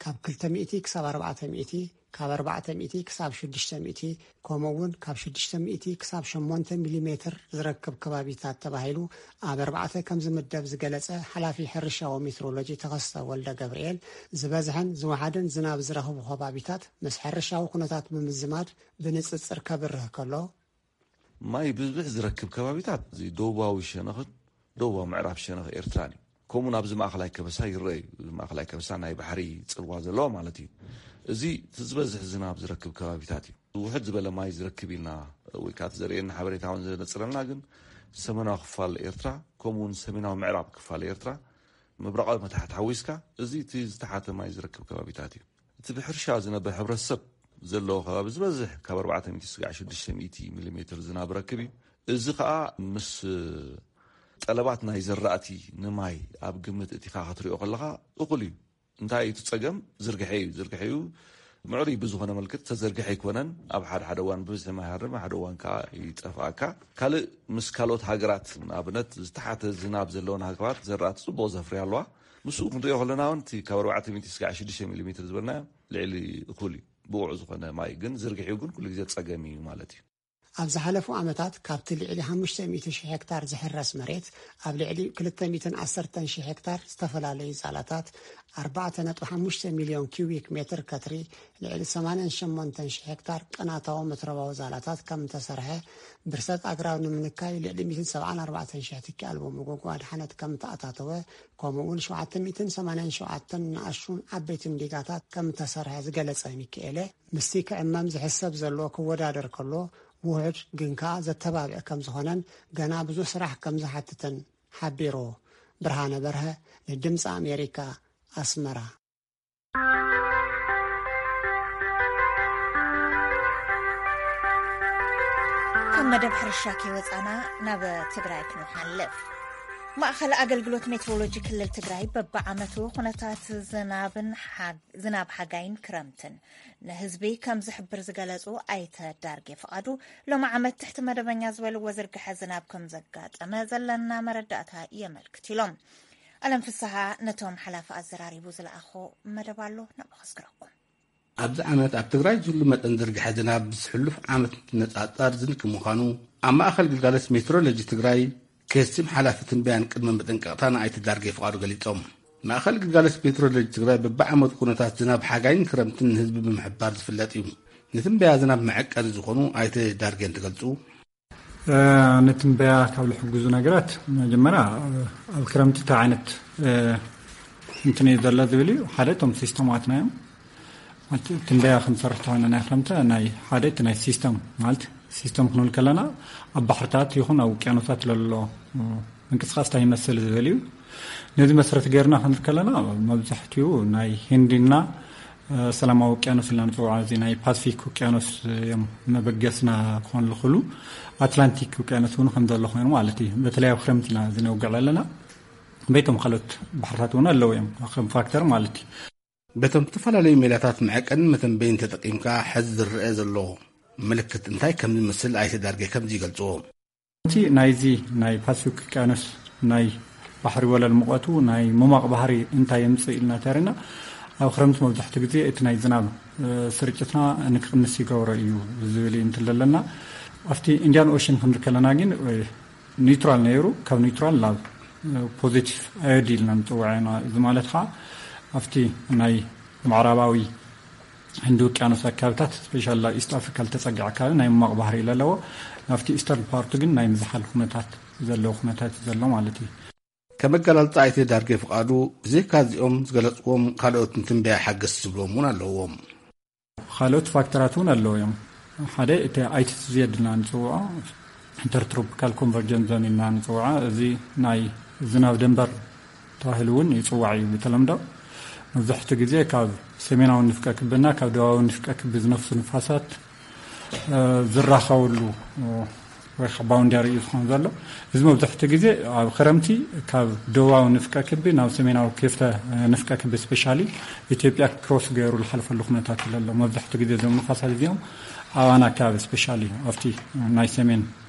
ካብ ክልተ ሚእቲ ክሳብ ኣርባዕተ ሚእቲ፣ ካብ ኣርባዕተ ሚእቲ ክሳብ ሽዱሽተ ሚእቲ፣ ከምኡ እውን ካብ ሽዱሽተ ሚእቲ ክሳብ ሸሞንተ ሚሊሜትር ዝረክብ ከባቢታት ተባሂሉ ኣብ ኣርባዕተ ከም ዝምደብ ዝገለጸ ሓላፊ ሕርሻዊ ሜትሮሎጂ ተኸስተ ወልደ ገብርኤል፣ ዝበዝሐን ዝወሓደን ዝናብ ዝረኽቡ ከባቢታት ምስ ሕርሻዊ ኩነታት ብምዝማድ ብንጽጽር ከብርህ ከሎ፣ ማይ ብዝብዝሕ ዝረክብ ከባቢታት እዚ ደቡባዊ ሸነኽን ደቡባዊ ምዕራብ ሸነኽ ኤርትራን እዩ። ከምኡ ናብዚ ማእኸላይ ከበሳ ይረአ እዩ። እዚ ማእኸላይ ከበሳ ናይ ባሕሪ ጽልዋ ዘለዎ ማለት እዩ። እዚ እቲ ዝበዝሕ ዝናብ ዝረክብ ከባቢታት እዩ። ውሕድ ዝበለ ማይ ዝረክብ ኢልና ወይ ከዓ እቲ ዘርእየና ሓበሬታ እውን ዘነጽረልና ግን ሰሜናዊ ክፋል ኤርትራ ከምኡ እውን ሰሜናዊ ምዕራብ ክፋል ኤርትራ ምብራቓዊ መታሕት ሓዊስካ እዚ እቲ ዝተሓተ ማይ ዝረክብ ከባቢታት እዩ። እቲ ብሕርሻ ዝነብር ሕብረተሰብ ዘለዎ ከባቢ ዝበዝሕ ካብ ኣርባዕተ ሚእቲ ስጋዕ ሽዱሽተ ሚእቲ ሚሊሜትር ዝናብ ረክብ እዩ። እዚ ከዓ ምስ ጠለባት ናይ ዘራእቲ ንማይ ኣብ ግምት እቲኻ ክትሪኦ ከለኻ እኹል እዩ። እንታይ እቲ ጸገም ዝርግሐ እዩ። ዝርግሐ እዩ ምዕሩይ ብዝኾነ መልክት ተዘርግሐ ኣይኮነን። ኣብ ሓደ ሓደ እዋን ብብዝሒ ማይ ሃርም ሓደ እዋን ከዓ ይጠፍኣካ። ካልእ ምስ ካልኦት ሃገራት ንኣብነት ዝተሓተ ዝናብ ዘለወን ሃገራት ዘራእቲ ጽቡቕ ዘፍርያ ኣለዋ። ምስኡ ክንሪኦ ከለና እውን እቲ ካብ ኣርባዕተ ሚእቲ ስጋዕ ሽዱሽተ ሚሊሜትር ዝበልናዮ ልዕሊ እኹል እዩ። ብቑዕ ዝኾነ ማይ ግን ዝርግሒኡ ግን ኩሉ ግዜ ጸገም እዩ ማለት እዩ። ኣብ ዝሓለፉ ዓመታት ካብቲ ልዕሊ ሓሙሽተ ሚእቲ ሺሕ ሄክታር ዝሕረስ መሬት ኣብ ልዕሊ ክልተ ሚእትን ዓሰርተን ሺሕ ሄክታር ዝተፈላለዩ ዛላታት፣ ኣርባዕተ ነጥቢ ሓሙሽተ ሚልዮን ኪዩቢክ ሜትር ከትሪ፣ ልዕሊ ሰማንያን ሸሞንተን ሺሕ ሄክታር ቅናታዊ መትረባዊ ዛላታት ከም እተሰርሐ፣ ብርሰት ኣግራብ ንምንካይ ልዕሊ ሚእትን ሰብዓን ኣርባዕተን ሺሕ ትኪ ኣልቦ መጎጎ ኣድሓነት ከም እተኣታተወ፣ ከምኡ እውን ሸውዓተ ሚእትን ሰማንያን ሸውዓተን ንኣሽቱን ዓበይትን ዲጋታት ከም እተሰርሐ ዝገለጸ ሚካኤለ፣ ምስቲ ክዕመም ዝሕሰብ ዘሎ ክወዳደር ከሎ፣ ውሑድ ግን ከኣ ዘተባብዕ ከም ዝኾነን ገና ብዙሕ ስራሕ ከም ዝሓትትን ሓቢሩ። ብርሃነ በርሀ፣ ንድምፂ ኣሜሪካ፣ ኣስመራ። ካብ መደብ ሕርሻ ከይወፃና ናብ ትግራይ ክንሓልፍ። ማእኸል ኣገልግሎት ሜትሮሎጂ ክልል ትግራይ በብዓመቱ ኩነታት ዝናብን ሓ- ዝናብ ሓጋይን ክረምትን ንህዝቢ ከም ዝሕብር ዝገለፁ ኣይተ ዳርጌ ፍቓዱ፣ ሎም ዓመት ትሕቲ መደበኛ ዝበልዎ ዝርግሐ ዝናብ ከም ዘጋጠመ ዘለና መረዳእታ የመልክት ኢሎም። ኣለም ፍስሃ ነቶም ሓላፊ ኣዘራሪቡ ዝለኣኾ መደብ ኣሎ፣ ንዕኡ ከስግረኩም። ኣብዚ ዓመት ኣብ ትግራይ ዝህሉ መጠን ዝርግሐ ዝናብ ምስ ሕሉፍ ዓመት ነፃፃር ዝንኪ ምዃኑ ኣብ ማእኸል ግልጋሎት ሜትሮሎጂ ትግራይ ከስቲም ሓላፊ ትንበያን ቅድመ መጠንቀቕታ ንኣይተ ዳርጌ ፍቓዱ ገሊፆም። ማእኸል ግልጋሎት ሜትሮሎጂ ትግራይ በብዓመቱ ኩነታት ዝናብ ሓጋይን ክረምትን ንህዝቢ ብምሕባር ዝፍለጥ እዩ። ንትንበያ ዝናብ መዐቀኒ ዝኾኑ ኣይተ ዳርጌ እንትገልፁ፣ ንትንበያ ካብ ዝሕግዙ ነገራት መጀመርያ ኣብ ክረምቲ እንታይ ዓይነት እንትን እዩ ዘሎ ዝብል እዩ። ሓደ እቶም ሲስተማትና እዮም። ትንበያ ክንሰርሕ ተኾይና ናይ ክረምቲ ናይ ሓደ እቲ ናይ ሲስተም ማለት ሲስተም ክንብል ከለና ኣብ ባሕርታት ይኹን ኣብ ውቅያኖሳት ለሎ ምንቅስቃስ እንታይ ይመስል ዝብል እዩ። ነዚ መሰረት ገይርና ክንብል ከለና መብዛሕትኡ ናይ ህንዲና ሰላማዊ ውቅያኖስ ኢልና ንፅውዖ እዚ ናይ ፓስፊክ ውቅያኖስ እዮም መበገስና ክኾን ዝኽእሉ። ኣትላንቲክ ውቅያኖስ እውን ከም ዘሎ ኮይኑ ማለት እዩ። በተለይ ኣብ ክረምቲ ኢና እዚ ነውግዕ ዘለና። በይቶም ካልኦት ባሕርታት እውን ኣለዉ እዮም ከም ፋክተር ማለት እዩ። በቶም ዝተፈላለዩ ሜላታት መዐቀንን መተንበይን ተጠቂምካ ሕዚ ዝረአ ዘሎ ምልክት እንታይ ከም ዝመስል ኣይተ ዳርጌ ከምዚ ይገልፅዎ። እቲ ናይዚ ናይ ፓስፊክ ውቅያኖስ ናይ ባሕሪ ወለል ሙቐቱ ናይ ምሟቕ ባህሪ እንታይ የምፅእ ኢልና ተሪና ኣብ ክረምቲ መብዛሕትኡ ግዜ እቲ ናይ ዝናብ ስርጭትና ንክቕንስ ይገብሮ እዩ ዝብል እዩ እንትለለና ኣብቲ ኢንዲያን ኦሽን ክንብል ከለና ግን ኒውትራል ነይሩ። ካብ ኒውትራል ናብ ፖዚቲቭ ኣዮዲ ኢልና ንፅውዖ ኢና። እዚ ማለት ከዓ ኣብቲ ናይ ምዕራባዊ ህንዲ ውቅያኖስ ኣካባቢታት ስፔሻል ናብ ኢስት ኣፍሪካ ዝተፀግዐ ኣካባቢ ናይ ምሟቕ ባህሪ እዩ ዘለዎ። ናብቲ ኢስተርን ፓርቱ ግን ናይ ምዝሓል ኩነታት ዘለዎ ኩነታት እዩ ዘሎ ማለት እዩ። ከም ኣገላልፃ ኣይተ ዳርጌ ፍቓዱ ብዘይካ እዚኦም ዝገለፅዎም ካልኦት ንትንበያ ሓገዝቲ ዝብልዎም እውን ኣለዎም። ካልኦት ፋክተራት እውን ኣለዉ እዮም። ሓደ እቲ ኣይቲቲዜድ ኢልና ንፅውዖ ኢንተርትሮፒካል ኮንቨርጀንስ ዞን ኢልና ንፅውዖ እዚ ናይ ዝናብ ደንበር ተባሂሉ እውን ይፅዋዕ እዩ ብተለምዶ። መብዛሕትኡ ግዜ ካብ ሰሜናዊ ንፍቀ ክብና ካብ ደቡባዊ ንፍቀ ክቢ ዝነፍሱ ንፋሳት ዝራኸብሉ ወይ ከዓ ባውንዳሪ እዩ ዝኾን ዘሎ። እዚ መብዛሕትኡ ግዜ ኣብ ክረምቲ ካብ ደቡባዊ ንፍቀ ክቢ ናብ ሰሜናዊ ክፍተ ንፍቀ ክቢ ስፔሻሊ ኢትዮጵያ ክሮስ ገይሩ ዝሓልፈሉ ኩነታት እዩ ዘሎ። መብዛሕትኡ ግዜ እዞም ንፋሳት እዚኦም ኣባና ኣካባቢ ስፔሻሊ ኣብቲ ናይ ሰሜን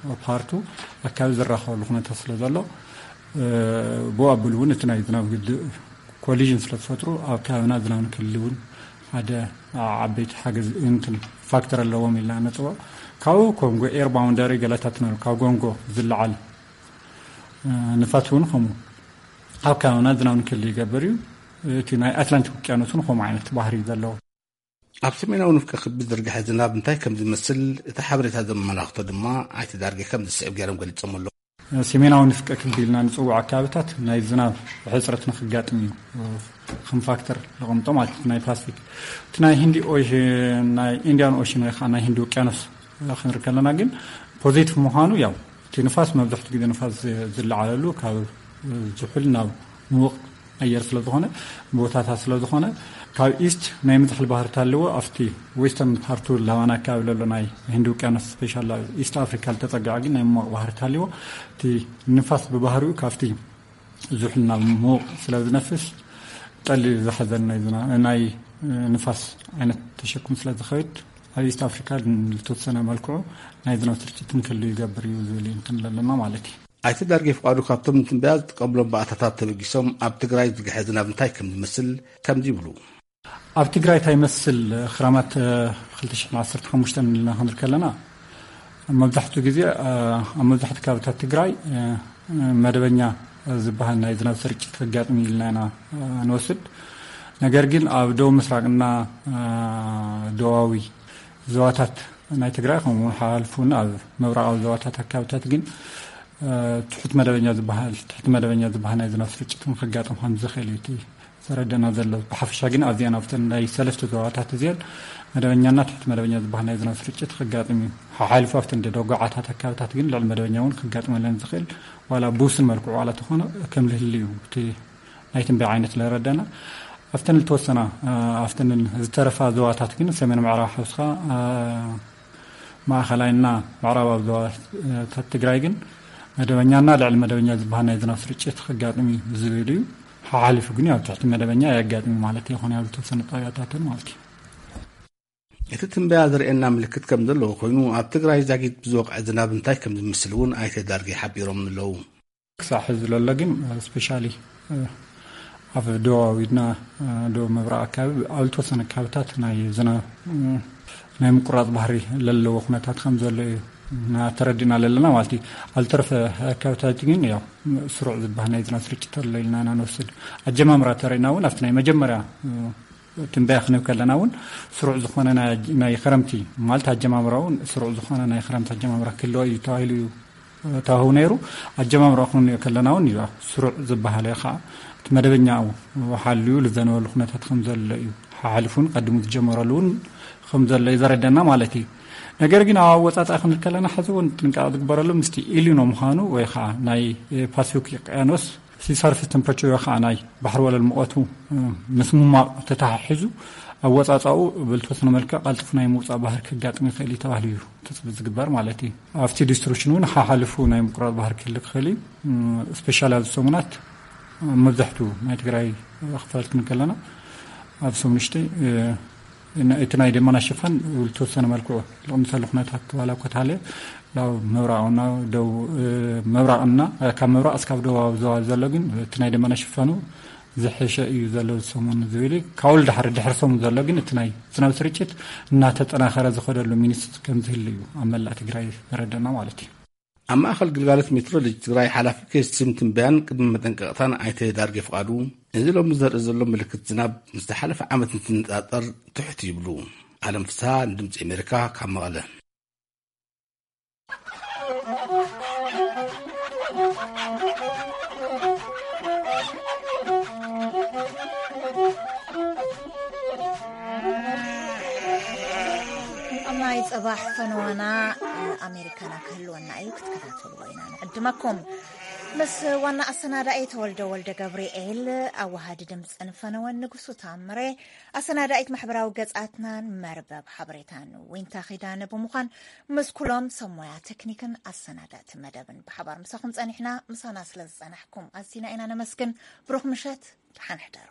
ፓርቱ ኣካባቢ ዝራኸበሉ ኩነታት ስለ ዘሎ ብኡ ኣቢሉ እውን እቲ ናይ ዝናብ ግድብ ኮሊዥን ስለ ዝፈጥሩ ኣብ ከባቢና ዝናብ ንክልሊ እውን ሓደ ዓበይቲ ሓገዝ እንትን ፋክተር ኣለዎም ኢልና ነፅዎ። ካብኡ ኮንጎ ኤር ባውንደሪ ገለታት ነ ካብ ጎንጎ ዝለዓል ንፋት እውን ከምኡ ኣብ ከባቢና ዝናብ ንክል ይገብር እዩ። እቲ ናይ ኣትላንቲክ ውቅያኖስ እውን ከምኡ ዓይነት ባህሪ ዘለዎ። ኣብ ሰሜናዊ ንፍቀ ክቢ ዝርግሐ ዝናብ እንታይ ከም ዝመስል እቲ ሓበሬታ ዘመላኽቶ ድማ ኣይተዳርገ ከም ዝስዕብ ገይሮም ገሊጾም ኣለዉ። ሰሜናዊ ንፍቀ ክቢ ኢልና ንፅውዕ ኣካባቢታት ናይ ዝናብ ሕፅረት ንክጋጥም እዩ ከም ፋክተር ዘቐምጦ ማለት እዩ። ናይ ፓስፊክ እቲ ናይ ህንዲ ኦሽን ናይ ኢንዲያን ኦሽን ወይ ከዓ ናይ ህንዲ ውቅያኖስ ክንርኢ ከለና ግን ፖዚቲቭ ምዃኑ ያው እቲ ንፋስ መብዛሕትኡ ግዜ ንፋስ ዝለዓለሉ ካብ ዝሑል ናብ ምውቕ ኣየር ስለዝኾነ ቦታታት ስለዝኾነ ካብ ኢስት ናይ ምዝሕል ባህርታት ኣለዎ። ኣብቲ ዌስተርን ፓርቱ ላባና ኣካባቢ ዘሎ ናይ ህንዲ ውቅያኖስ ስፔሻል ኢስት ኣፍሪካ ዝተፀግዐ ግን ናይ ምውቕ ባህርታት ኣለዎ። እቲ ንፋስ ብባህሪኡ ካብቲ ዝሑል ናብ ምውቕ ስለ ዝነፍስ ጠሊ ዝሓዘን ናይ ዝና- ናይ ንፋስ ዓይነት ተሸክሙ ስለ ዝኸይድ ኣብ ኢስት ኣፍሪካ ዝተወሰነ መልክዑ ናይ ዝናብ ስርጭት እንክሉ ይገብር እዩ ዝብል እዩ እንትን ዘለና ማለት እዩ። ኣይተ ዳርጌ ፍቃዱ ካብቶም ንትንበያ ዝጥቀምሎም ባእታታት ተበጊሶም ኣብ ትግራይ ዝግሐ ዝናብ እንታይ ከም ዝመስል ከምዚ ይብሉ። ኣብ ትግራይ እንታይ ይመስል ክራማት እ፣ ክልተ ሽሕን ዓሰርተ ሓሙሽተን ኢልና ክንብል ከለና መብዛሕትኡ ግዜ እ፣ ኣብ መብዛሕትኡ ከባብታት ትግራይ እ፣ መደበኛ ዝበሃል ናይ ዝናብ ስርጭት ከጋጥም ኢልና ኢና እ፣ ንወስድ። ነገር ግን ኣብ ደቡብ ምስራቅና እ፣ ደቡባዊ ዞባታት ናይ ትግራይ ከምኡ ሓልፉን ኣብ ምብራቃዊ ዞባታት ኣካባቢታት ግን እ፣ ትሑት መደበኛ ዝበሃል ትሕቲ መደበኛ ዝበሃል ናይ ዝናብ ስርጭት እውን ከጋጥም ከም ዝኽእል እዩ እቲ ዘረደና ዘሎ። ብሓፈሻ ግን ኣብዚአን ኣብተን ናይ ሰለስተ ዞባታት እዚአን መደበኛና ትሕቲ መደበኛ ዝበሃል ናይ ዝናብ ስርጭት ከጋጥም እዩ። ሓሓሊፉ ኣብተን ደጎዓታት ኣካባቢታት ግን ልዕሊ መደበኛ እውን ከጋጥመለን ዝኽእል ዋላ ብውስን መልክዑ ዋላ ተኾነ ከም ዝህል እዩ እቲ ናይ ትንበያ ዓይነት ለረደና። ኣብተን ዝተወሰና እ፣ ኣብተን ዝተረፋ ዞባታት ግን ሰሜን ምዕራብ ሓውስኻ እ፣ ማእኸላይና ምዕራባዊ ዞባታት ትግራይ ግን መደበኛና ልዕሊ መደበኛ ዝበሃል ናይ ዝናብ ስርጭት ከጋጥም እዩ ዝብል እዩ። ሓሓሊፉ ግን ኣብ ትሕቲ መደበኛ ኣየጋጥም ማለት ይኾነ ኣብ ዝተወሰነ ጣቢያታትን ማለት እዩ። እቲ ትንበያ ዝርእየና ምልክት ከም ዘለዎ ኮይኑ ኣብ ትግራይ ዛጊት ብዝወቅዐ ዝናብ እንታይ ከም ዝምስል እውን ኣይተ ዳርጌ ሓቢሮም ኣለዉ። ክሳዕ ሕዚ ዘሎ ግን ስፔሻሊ ኣብ ደቡባዊና ደቡብ ምብራቅ ኣካባቢ ኣብ ዝተወሰነ ኣካባቢታት ናይ ዝናብ ናይ ምቁራፅ ባህሪ ለለዎ ኩነታት ከም ዘሎ እዩ እና ተረዲና ለለና ማለት እዩ። ኣብ ዝተረፈ ኣካባቢታት ግን ያው ስሩዕ ዝበሃል ናይ ዝናብ ስርጭት ኣሎ ኢልና ኢና ንወስድ። ኣጀማምራ ተረኢና እውን ኣብቲ ናይ መጀመርያ ትንበያ ክንብ ከለና እውን ስሩዕ ዝኾነ ናይ- ናይ ክረምቲ ማለት ኣጀማምራ እውን ስሩዕ ዝኾነ ናይ ክረምቲ ኣጀማምራ ክህልዎ እዩ ተባሂሉ እዩ ተዋህቡ ነይሩ። ኣጀማምራ ክንሪኦ ከለና እውን እዩ ስሩዕ ዝበሃለ ከዓ እቲ መደበኛኡ ሓልዩ ልዘነበሉ ኩነታት ከም ዘሎ እዩ። ሓሓሊፉ እውን ቀድሙ ዝጀመረሉ እውን ከም ዘሎ እዩ ዘረደና ማለት እዩ። ነገር ግን ኣብ ኣወፃፃኢ ክንብል ከለና ሕዚ እውን ጥንቃቄ ዝግበረሉ ምስቲ ኢሊኖ ምዃኑ ወይ ከዓ ናይ ፓሲፊክ ውቅያኖስ ሲሰርፊስ ተምፕሬቸር ወይ ከዓ ናይ ባሕሪ ወለል ሙቐቱ ምስ ምማቕ ተተሓሒዙ ኣወፃፃኡ ብልተወሰነ መልክዕ ቀልጥፉ ናይ ምውፃእ ባህር ክጋጥም ይኽእል እዩ ተባሂሉ እዩ ትፅቢ ዝግበር ማለት እዩ። ኣብቲ ዲስትሪቢሽን እውን ሓሓልፉ ናይ ምቁራፅ ባህር ክህል ክኽእል እዩ። ስፔሻሊ ኣብዚ ሰሙናት መብዛሕትኡ ናይ ትግራይ ክፋል ክንከለና ኣብ ሰሙን ሽተይ እቲ ናይ ደመና ሽፋን ዝተወሰነ መልክዑ ልቕንሰሉ ኩነታት ዋላ ኮታለ ናብ ምብራቕና ደው ምብራቕና ካብ ምብራቕ እስካብ ደቡባዊ ዞባ ዘሎ ግን እቲ ናይ ደመና ሽፋኑ ዝሐሸ እዩ ዘሎ ሰሙን ዝብል እዩ። ካብኡ ድሕሪ ድሕሪ ሰሙን ዘሎ ግን እቲ ናይ ዝናብ ስርጭት እናተጠናኸረ ዝኸደሉ ሚኒስትሪ ከም ዝህሉ እዩ ኣብ መላእ ትግራይ ዘረደና ማለት እዩ። ኣብ ማእኸል ግልጋሎት ሜትሮሎጂ ትግራይ ሓላፊ ክስም ትንበያን ቅድሚ መጠንቀቕታን ኣይተ ዳርጌ ፍቓዱ፣ እዚ ሎሚ ዘርኢ ዘሎ ምልክት ዝናብ ምስ ዝሓለፈ ዓመት እንትነፃፀር ትሕት ይብሉ። ኣለም ፍስሃ ንድምፂ ኣሜሪካ ካብ መቐለ። ኣብ ናይ ጽባሕ ፈነዋና ኣሜሪካና ክህልወና እዩ፣ ክትከታተልዎ ኢና ንዕድመኩም። ምስ ዋና ኣሰናዳኢ ተወልደ ወልደ ገብርኤል፣ ኣዋሃዲ ድምፅን ፈነወን ንጉሱ ታምሬ፣ ኣሰናዳኢት ማሕበራዊ ገጻትናን መርበብ ሓበሬታን ዊንታ ኺዳነ ብምዃን ምስ ኩሎም ሰብ ሞያ ቴክኒክን ኣሰናዳእቲ መደብን ብሓባር ምሳኹም ጸኒሕና። ምሳና ስለ ዝጸናሕኩም ኣዚና ኢና ነመስግን። ብሩኽ ምሸት፣ ደሓን ሕደሩ።